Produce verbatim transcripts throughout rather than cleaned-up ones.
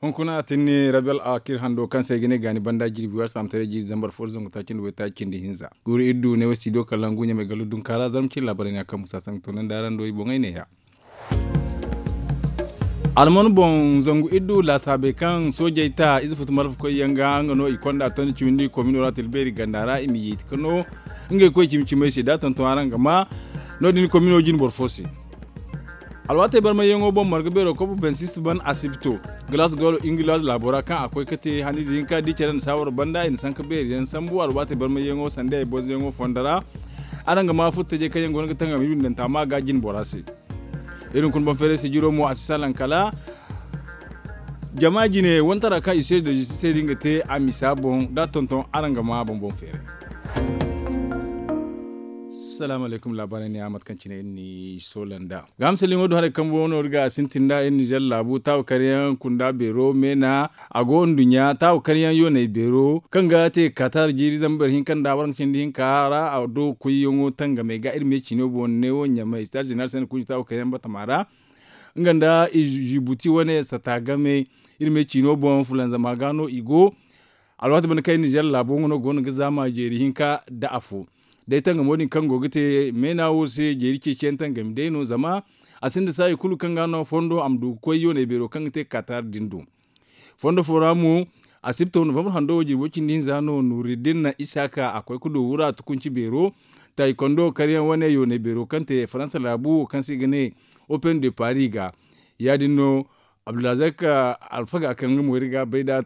Hunkuna a tinni rabel akir hando kaŋ se ay ga ne gaani banda jirbi waasa taamataray jiiri zambar fo da zangu taaci nda waytaaci cindi hinza guuru iri du ne way studio kalangu ɲamay gallu dunkaara zarma cindi laabaray ne a kaŋ musa sangu to naŋ da araŋ do i boŋey neeya. Alman boŋ zangu iri du laasaabey kaŋ soojey ta ize futu malfa koy yaŋ ga nga no i konda tondi cawindi komino ra tilbeeri ganda ra i ma yeeti ka no ngey koy cimi cimey se da a tonton araŋ ga ma no- din komino jine boro fo se. Alwaatey barmayyaŋo boŋ marga beero kobo bensis ban asibto galaas golo ingila laabo ra kaŋ a koy ga te haniize hinka di care nda saawaro banda i na sanka beeri yaŋ sambu alwaatey barmayyaŋo sanda ay bonzoyaŋo fondo ra. Araŋ ga ma furtajey kaŋ yaŋ go no ga tangam i bindanta ma ga jine bora se. Iri hunkuna boŋ feeray sijiro mo a si salaŋ kala jama jine wantara kaŋ i se da jisi se din ga te a misa boŋ da a tonton araŋ ga ma boŋ boŋ feeray. Salaamu alaykum laabaarey ne a mate kaŋ cine iri n'i soola nd'a. Ga hamsaliŋo do haray kambo no iri ga a sintin nd'a iri nizer laabu taawa karyaŋ kunda beero meena a go nduɲɲa taawa karyaŋ yoonay beero kaŋ ga te katar jiiri zambar hinka nda waranka cindi hinka ra a do koyyaŋo tangamey ga iri me ciino boŋ neewo ɲamay sitaaz jeneral se ni kunci taawa karyaŋ batama ra. Nga nda jibuti wane sata game iri me ciino boŋ fulanzama ga no i go. Alwaati banda kaŋ iri nizer laabo nga no go no ga zaama jeeri hinka nda afo. Day tangamo din kaŋ go ga te meena wo se jeeri ceeciyaŋ tangami day no zama a sinda saayi kulu kaŋ ga no fondo a ma du ga koy yoonay beero kaŋ ga te katar din do. Fondo fo ra mo asibto novambar hando wo jirbo cindi hinza no nuuriddin na isaaka a koy ga du wura tukunci beero. Taayi kondo karyaŋ wane yoonay beero kaŋ te faransa laabu wo kaŋ se i ga ne open de paris ga. Ya- din no abdulrazak alfaga kaŋ nga mo iri ga bay nd'a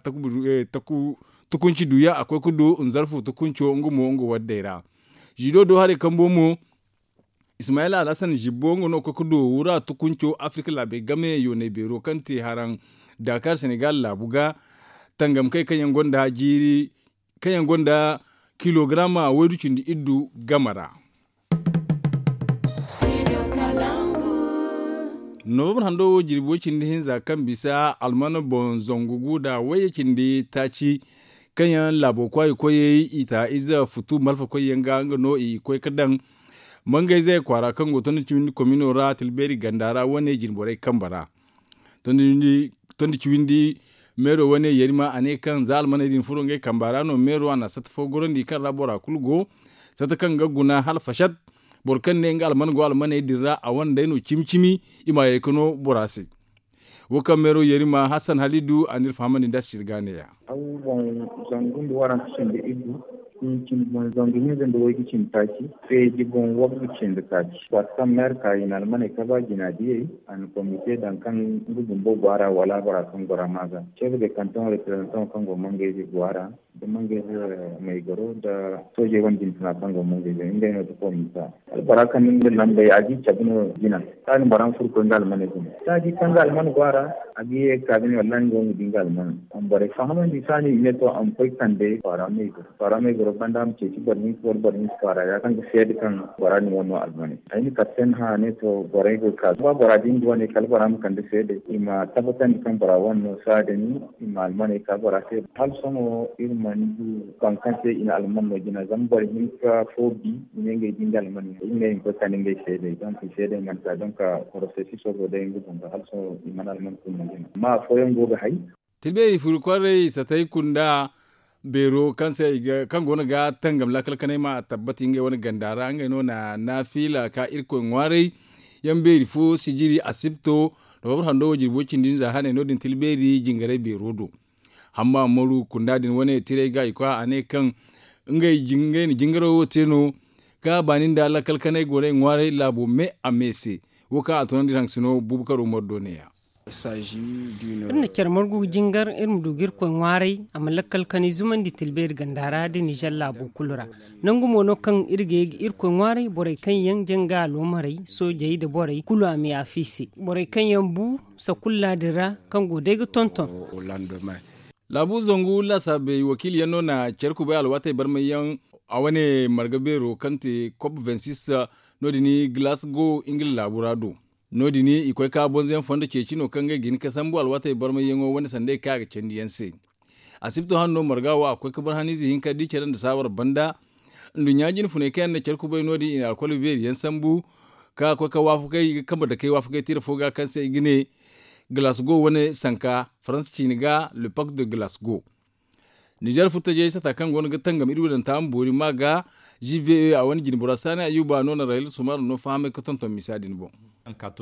tukunci duuyaŋ a koy ga du nzarfu tukunco nga mo nga waddey ra. Zido do haray kambo mo ismayil alhasan zibbo nga no ga koy ga du wura tukunco afirika laabey game yoonay beero kaŋ te haraŋ dakar senegal laabu ga. Tangamkey kaŋ yaŋ gonda jiiri kaŋ yaŋ gonda kilogaraama waydu cindi iddu game ra. Novambar hando wo jirbi way cindi hinza kaŋ bisa alman boŋ zangu gu nda wayye cindi taaci kaŋ yaŋ laabo kwaayi koyey i ta ize futu malfa koyyaŋ ga nga no i koy ga daŋ mangayze kwaara kaŋ go tondi cawindi komino ra tilbeeri ganda ra wane jine borey kambe ra. Tondi cawindi meero wane yerima a ne kaŋ za almaney din furo ngey kamba ra no meero a na sata fo gorandi kaŋ ra bora kulu go. Sata kaŋ ga guna hala fasat boro kaŋ ne nga alman go almaney din ra a wane day no cimi cimi i ma ye ga no bora se. Wo kaŋ meero yerima hassan halidu a n'iri fahamandi nda sirga ne- ya. Aw boŋ zangu nda waranka cindi iddu hinci boŋ zangu hinza nda waygu cindi taaci feeji boŋ waggu cindi taaci waati kaŋ meero ka i na almaney kaba jina diyey a na komite daŋ kaŋ nga bumbo go a ra wala bora kaŋ goro a ma ga ceebe de kanton reprezantaŋo kaŋ go mangayze go a ra nda mangayze maygaro nda soojey wane jina funa kaŋ go mangayze ngey no ga komisa. Albora kaŋ ni nga lambey a ga i cabe no jina. Saani bora ma furo koy nga almaney guna saadi kaŋ nga alman go a ra a ga ye ga ka ga ne wallahi nga wo ma di nga alman. Borey fahamandi saani i ne to a ma koy kande kwaara me goro kwaara me goro banda a ma ceeci boro hinka wala boro hinka kwaara ya kaŋ ga seede kaŋ bora din wane no almaney. Ay na kate se ni hã a ne to borey go ga ka ba bora din ga wane kala bora ma kande seede i ma tabbatandi kaŋ bora wane no saadin i ma almaney ka bora se. Hala sohõ iri mana du boro kaŋ se i na alman no jina zama boro hinka fo bi i ne ngey di nga alman no i ne i ma koy kande ngey seedey donc i seedey mana ka donc porosesiso go day nga bumbo hala sohõ i mana alman kulu no jina amma afooyaŋ go ga hay. Tilbeeri furu kwaarey satay kunda beero kaŋ se i ga kaŋ go no ga tangam laakal kanay ma tabbati ngey wane ganda ra ngey no na naafila ka irkoy ŋwaaray. Yaŋ beeri fo sijiri asibto da boro hando wo jirbo cindi nda za haney no- din tilbeeri jingaray beero do. Hamma maru kunda din wane tiray ga i kwa a ne kaŋ ngey na jingaro wo te no ka baani nda lakkal kanay gorey ŋwaaray laabo me a me se. Wo kaŋ a tunandi iri haŋ sino buubu karo mardo ne- ya. Iri na care margu ga jingar iri ma du ga irkoy ŋwaaray a ma lakkal kanay zumandi tilbeeri ganda ra da nizer laabo kulu ra. Nangu mo no kaŋ iri ga ye ga irkoy ŋwaaray borey kaŋ yaŋ janga aloomarey soojey nda borey kulu a ma yaafa i se borey kaŋ yaŋ bu sakulla din ra kaŋ go day ga tonton. Laabu zangu laasaabey wakiili yaŋ no na care kubay alwaatey barmay yaŋ a wane marga beero kaŋ te kop vingt six no- din glasgow ngila laabu ra do. No- din i koy ka bonze yaŋ fondo ceeci no kaŋ ngey ga hin ka sambu alwaatey barmay yaŋo wane sanda i kaŋ a ga candi yaŋ se. Asibto hano no marga wo a koy ka bar haniize hinka di care nda saawar banda. Nduɲɲa jine funay kaŋ yaŋ na care kubay no- din i na alkol beeri yaŋ sambu ka koy ka waafakay i ga kambe dakey waafakay tira fo ga kaŋ se i ga ne Glasgow wane sanka faransa ciini ga le pact de glasgow. Nizer furtajey sata kaŋ go no ga tangam iri wadanta ma boori ma ga g v e a wane jinbora saani ayuba no na rahil sumar no fahamay ga tonton misa din boŋ. Ga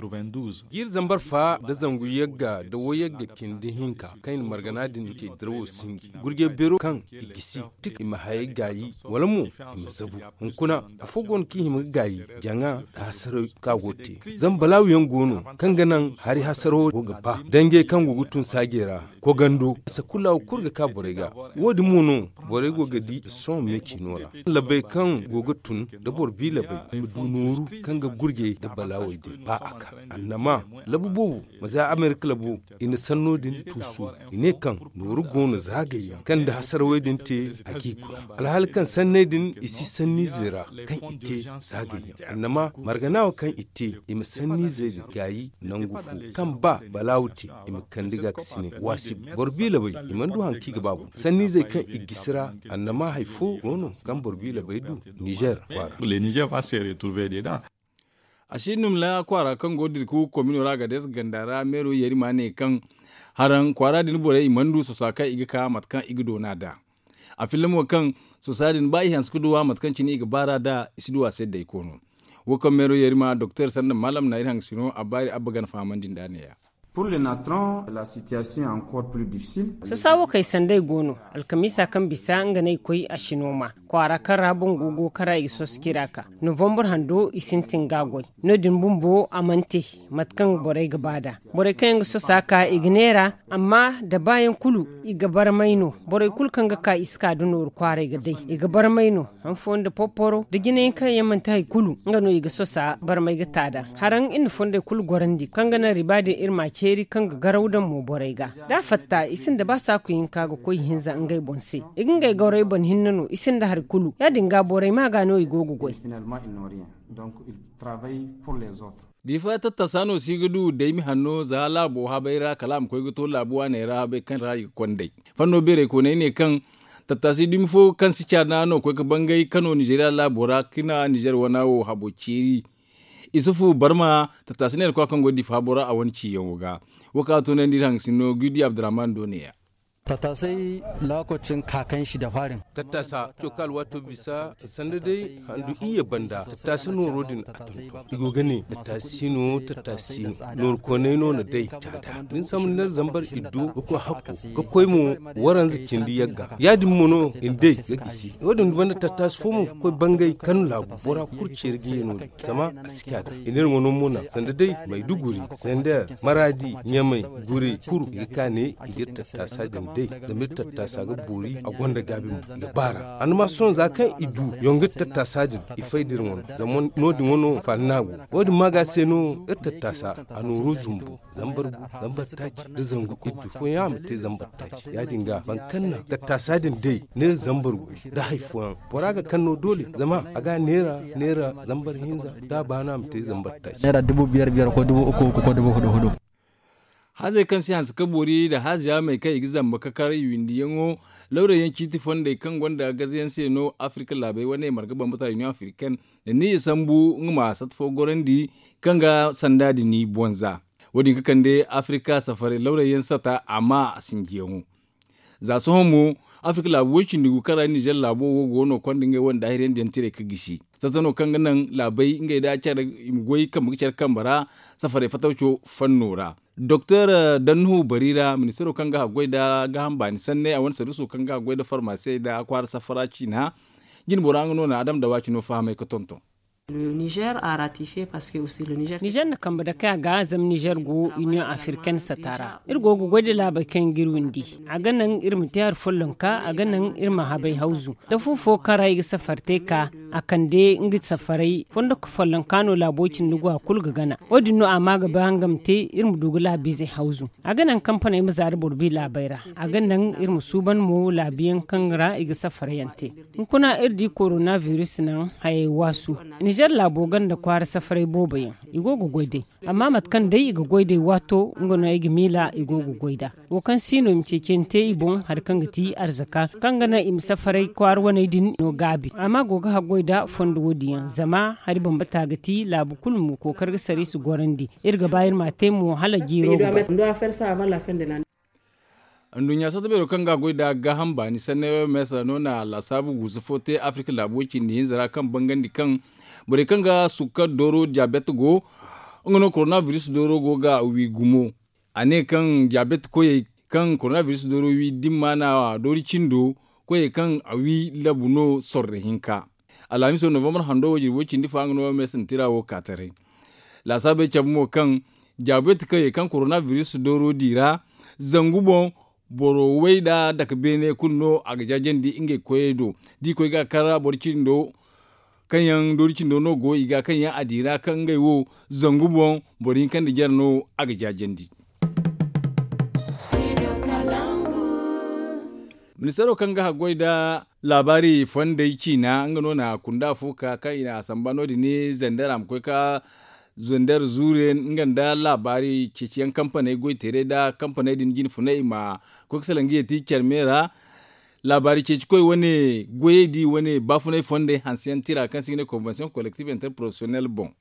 iri zambar fa nda zangu yagga nda wo yagga cindi hinka kaŋ i na margana din te dirawo sinji gurje beero kaŋ i gisi tik i ma hayey gaayi wala mo i ma zabu. Hunkuna afo go no kaŋ i hima ga gaayi jaŋa nda hasaraw kaŋ a go ga te zama balaawu yaŋ go no kaŋ ga naŋ hari hasarawo go ga ba danjey kaŋ go ga tun saajey ra. Kogando sakulla wo kulu ga ka borey ga. Wo- din mo no borey go ga di sohõ me ciino ra. Labey kaŋ go ga tun nda boro bi labey i ma du nooru kaŋ ga gurjey nda balaawey din ba a ka annama labu boobo ma za amerika labo i na sanno din tuusu. I ne kaŋ nooru go no zaagayyaŋ kaŋ nda hasarawey din te a g'i guna alhaali kaŋ sanney din i si sanniizey ra kaŋ i te zaagayyaŋ annama margana wo kaŋ i te i ma sanniizey din gaayi nangu fo kaŋ ba balaawu te i ma kande ga ga sine waasi boro bi labey i mana du haŋ kaŋ i ga ba boŋ sanniizey kaŋ i gisi ra annama hari fo go no kaŋ boro bi labey du nizer kwaara. Les niger va se retrouver dedans. A si num la kwaara kaŋ go ga dira ka wu komino ra ga deesa ganda ra meero yeeri ma ne kaŋ haraŋ kwaara din borey i mana du sosa kaŋ i ga ka mate kaŋ i ga doona nd'a. A filla mo kaŋ sosa din ba i hanse ga duw'a mate kaŋ cine i ga baar'a nd'a i si duw'a se daykoono. Wo kaŋ meero yeeri ma doktor sanda maalam na iri hangasino a baari abba gana fahamandi nd'a ne- ya. Sosa wo kay sanday go no. Alkamiisa kaŋ bisa nga no ay koy a si nooma kwaara kaŋ ra boŋ go go kaŋ ra i ga soso cira ka novambur hando i sintin ga a goy. No- din bumbo a mana te mate kaŋ borey ga ba nd'a. Borey kaŋ yaŋ ga sosa ka i ga neera amma da baayaŋ kulu i ga barmay no. Borey kulu kaŋ ga ka i si ka nda nooru kwaaray ga day i ga barmay no. Han fooyaŋ nda porporo nda jinayaŋ kaŋ yaŋ manti hari kulu nga no i ga sosa barmay ga ta nd'a. Haraŋ iri na fondey kulu gorandi kaŋ ga naŋ riba din iri m'a ceeri kaŋ ga garaw daŋ mo borey ga. Da a fatta i sinda ba saaku hinka ga koy ihinza ngey boŋ se. I ga ngey gorey boŋ hinne no i sinda hari kulu ya- din ga borey ma ga no i go ga goy. Diifa tattasa no si ga du daymi hanno za laabo habay ra kala a ma koy ga to laabu waaney ra habay kaŋ ra i ga konday. Fanno beerey kooney ne kaŋ tattasi dumi fo kaŋ si caana no koy ga bangay kano nizeeriya laabo ra ka na nizeer wana wo habo ceeri. Isufu barma tattasi neera kwa kaŋ go ga diifa habo ra a wane ciiyaŋo ga. Wo kaŋ a toonandi iri hangasinno gudi abdurrahman do ne- ya. Tattasay lokacin kakan shi da farin. Tattasa coka alwaato bisa sanda day handu iyye banda tattasa nooro din a tonton i go ga ne tattasi no tattasi no nooro koonay no na day caada. Din sambu ner zambar iddo ga koy hakko ga koy mo waranza cindi yagga ya- din mo no i na day ga gisi wo- din banda tattasi fo mo ga koy bangay kanu laabu bora kulu ceeri ga ye no- din zama a si caada i ne iri wano mo na sanda day mayduguri, zender, maradi, ɲamay, gure, kuru i ga ka ne i ga iri tattasa din day. Zama iri tattasa ga boori a gonda gaabi mo i ga baara a na ma sohõ za kaŋ i du yonga iri tattasa din i fay da iri wano zama no- din wano faani no a go. Wo- din ma ga se no iri tattasa a nooru zumbu zambar gu zambar taaci nda zangu iddu fooyaŋ a ma te zambar taaci ya- din ga boro kaŋ na tattasa din day neera zambar gu nda hari fooyaŋ bora ga kaŋ no doole zama a ga neera neera zambar hinza da a ba no a ma te zambar taaci. Neera dubu biyar biyar ko dubu uku uku ko dubu hudu hudu. Hazey kaŋ si hanse ka boori nda haziya may kaŋ i ga zamba ka kar i windiyaŋo lawray yaŋ ciiti fondey kaŋ gonda gaze yaŋ se no afirka laabey wane marga bambata union africaine na ni i sambu nga ma sata fo gorandi kaŋ ga sanda din i bonza. Wo- din ga kande afirka safaray lawray yaŋ sata amma a sinjiyaŋo. Za sohõ mo afirka laabu woy cindi gu kaŋ ra nizer laabo wo go no konda ngey wane daahirandi yaŋ tiray ga gisi sata no kaŋ ga naŋ laabey ngey da care i ma goy kambe ga care kambe ra safaray fatawco fanno ra. Doktor dannuhu bari ra ministaro kaŋ ga haggoy nda gaaham baani sanney a wane sarduso kaŋ ga haggoy nda farmasey nda kwaara safara ciina. Jinbora nga no na adam dawaci no fahamay ga tonton. Nizer na kambe dake a ga zama nizer go union africaine sata ra iri go ga goy nda laabey kaŋ yaŋ ga iri windi. A ga naŋ iri ma te hari follonka a ga naŋ iri ma habay hawzu da fu fo kaŋ ra i ga safari te ka a kande nga safaray fondo ka follonka no laabo cindi go a kulu ga gana. Wo- din no a ma ga ba nga ma te iri ma du ga laabiizey hawzu. A ga naŋ kampaney ma za nda boro bi laabey ra. A ga naŋ iri ma suuban mo laabiyaŋ kaŋ ra i ga safari yaŋ te. Hunkuna iri di korona biris naŋ hayey waasu. Nizer laabo ganda kwaara safaray boobo yaŋ i go ga goy day. Amma mate kaŋ day i ga goy day waato nga no ay ga miila i go ga goy nd'a. Wo kaŋ si no i ma ceecey te i boŋ hari kaŋ ga ti arzaka kaŋ ga naŋ i ma safaray kwaara waney din no gaabi amma go ga haggoy. Da fondo wo- din yaŋ zama hari bambata ga ti laabu kulu mo kookari ga sara i si gorandi. Iri ga ba iri ma a te mo hala jiiro ga ba. Nduɲɲa satta beero kaŋ ga a goy nd'a gaaham baani sanney oms no na laasaabu guusu fo te afirika laabu way cindi hinza ra kaŋ bangandi kaŋ borey kaŋ ga sukkar dooro diyabet go nga no korona biris dooro go ga wi gumo. A ne kaŋ diyabet koyey kaŋ korona biris dooro wi dimma na doori cindo koyey kaŋ a wi labu no sorro hinka. Alhamiso novambar hando wo jirbi way cindi fa nga no oms na tira wo ka taray. Laasaabey cabe mo kaŋ diyabet koyey kaŋ korona biris dooro di ra zangu boŋ boro way nda dake beene kulu no a ga jaajandi ngey koyey do. Da i koy ga kar boro cindo kaŋ yaŋ doori cindo no go i ga kaŋ yaŋ a di ra kaŋ ngey wo zangu boŋ boro hinka nda jare no a ga jaajandi. Ministeero kaŋ ga haggoy nda laabaari fondey ciina nga no na kunda fo ka kaŋ i na a samba no- din zandar a ma koy ka zandar zuure nga nda laabaari ceeciyaŋ kampaney goy teeray nda kampaney din jine funay i ma koy ga salaŋ ga yeeti care me ra. Laabaari ceeci koy wane goyey di wane baafunay fondey hanse yaŋ tira kaŋ se i ga ne konvensiyoŋ kolektif interprofesiyonel boŋ.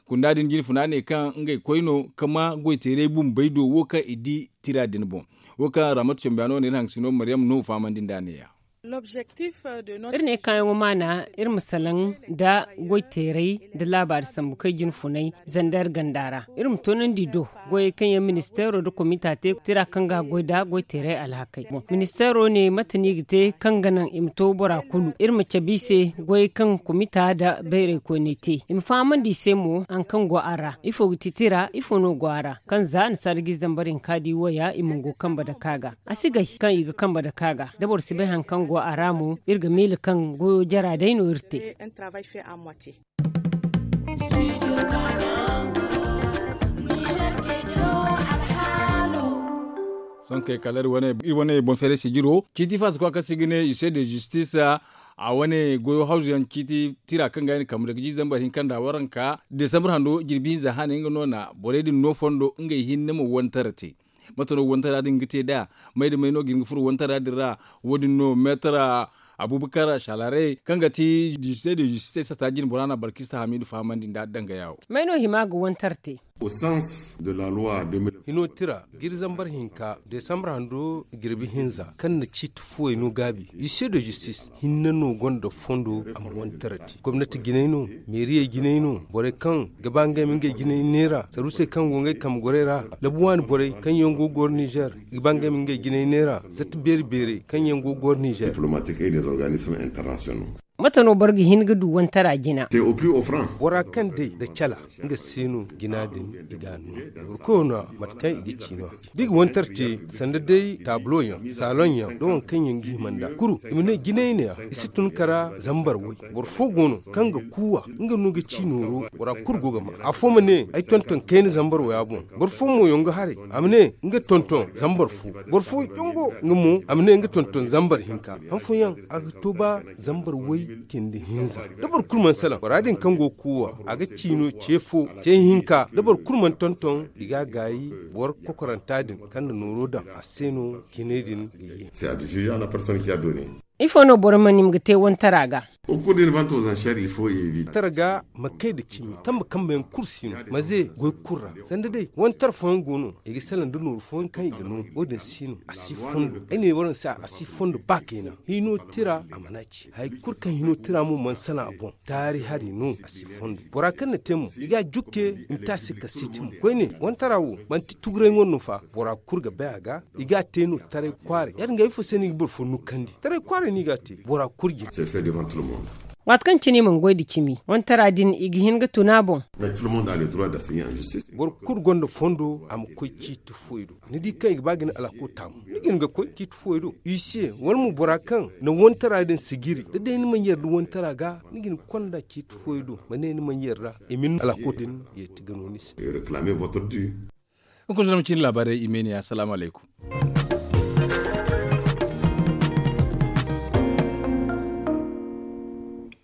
Kunda din jine funa ne kaŋ ngey koy no ka ma goy teeray bumbey do wo kaŋ i di tira din boŋ. Wo kaŋ ramat cambiya no ne iri haŋ ga si no maryam no fahamandi nd'a ne- ya. Iri ne kaayaŋo maana iri ma salaŋ nda goy teeray nda laabaari sambu kaŋ i jine funay zandar ganda ra iri ma toonandi do goyey kaŋ yaŋ ministeero nda komita te tira kaŋ ga a goy nda goy teeray alhakey. Ministeero ne mate no i ga te kaŋ ga naŋ i ma to bora kulu iri ma cabe i se goyey kaŋ komita nda bayray koyney te i ma fahamandi i se mo hari kaŋ go a ra ifo ga ti tira ifo no go a ra kaŋ za a na sarji zambar hinka di waya i ma go kambe dake a ga. A si gay kaŋ i ga kambe dake a ga da boro si bay hari kaŋ go a ra mo iri ga miila kaŋ goyo jara day no iri te. Sohõ kay kala iri wane boŋ feeray sijiro ciiti faasa kwa kaŋ se i ga ne ise de zistis a wane goyo hawzu yaŋ ciiti tira kaŋ ga i na kambe dake jiiri zambar hinka nda waranka desambar hando jirbi hinza haanay nga no na borey din no fondo ngey hinne ma wantara te. Mate no wantara din ga te nd'a? May da may no ga hin ga furo wantara din ra? Wo- din no meetar abubakar shalare kaŋ ga ti dizite de zisite sata jine bora na barkista hamidu fahamandi nd'a dangaya wo. May no hima ga wantar te? Hino tira jiiri zambar hinka desambar hando jirbi hinza kaŋ na ciiti fuwey no gaabi ise de zistis hinne no gonda fondo a ma wantar te gomnati jinay no meeriyey jinay no borey kaŋ ga ba ngey ma ngey jinay neera saruusey kaŋ go ngey kambe gorey ra labu waani borey kaŋ yaŋ go ga goro nizer ga ba ngey ma ngey jinay neera zatta beeri beerey kaŋ yaŋ go ga goro nizer. Mate no boro ga hin ga du wantara jina? Bora kaŋ day nda cala nga se no jina din i ga a no. Boro koyo no a mate kaŋ i ga ci no a da i ga wantar te sanda day taabulo yaŋ saalon yaŋ da waŋ kaŋ yaŋ ga hima nd'a kuru i ma ne jinay ne ya i si tun kara zambar way. Boro fo go no kaŋ ga kuuwa nga no ga ci nooro bora kulu go ga ma afo ma ne ay tonton kayna zambar waya boŋ. Boro fo mo yaŋ ga haray a ma ne nga tonton zambar fo. Boro fo yaŋ go nga mo a ma ne nga tonton zambar hinka han fooyaŋ a ga to ba zambar way cindi hinza da boro kulu mana salaŋ bora din kaŋ go ga kuuwa a ga ci no ce fo ce hinka da boro kulu mana tonton i ga a gaayi boro kokoranta din kaŋ na nooro daŋ a se no jinay din ga ye. Ifo no boro mana hima ga te wantara ga? Wantara ga ma kay nda cimi kambe kambe yaŋ kulu si no maze goy kulu ra sanda day wantara fooyaŋ go no i ga salaŋ nda nooru fooyaŋ kaŋ i ga no wo- din si no a si fondo ay ne waraŋ se a si fondo ba kayna hino tira a mana ci hari kulu kaŋ hino tira mo mana salaŋ a boŋ taari hari no a si fondo bora kaŋ na te mo i ga a jukke i ma te a se kasiiti mo koyne wantara wo manti tuguray ŋwa no fa bora kulu ga bay a ga i ga a te no taray kwaaray ya- din ga ifo se no i ga boro fo nukkandi taray kwaaray no i ga a te bora kulu jina. Waati kaŋ cine i mana goy nda cimi wantara din i ga hin ga tun a boŋ. Boro kulu gonda fondo a ma koy ciiti fuwey do ni di kaŋ i ga ba ga ni alako taamu ni ga hin ga koy ciiti fuwey do huissier wala mo bora kaŋ na wantara din sijiri da day ni mana yarda wantara ga ni ga hin ga konda ciiti fuwey do ma ne ni mana yarda i ma ni alako din yeeti ga no ni se. Hunkuna zama cine laabaarey i ma ay ne assalaamu alaykum.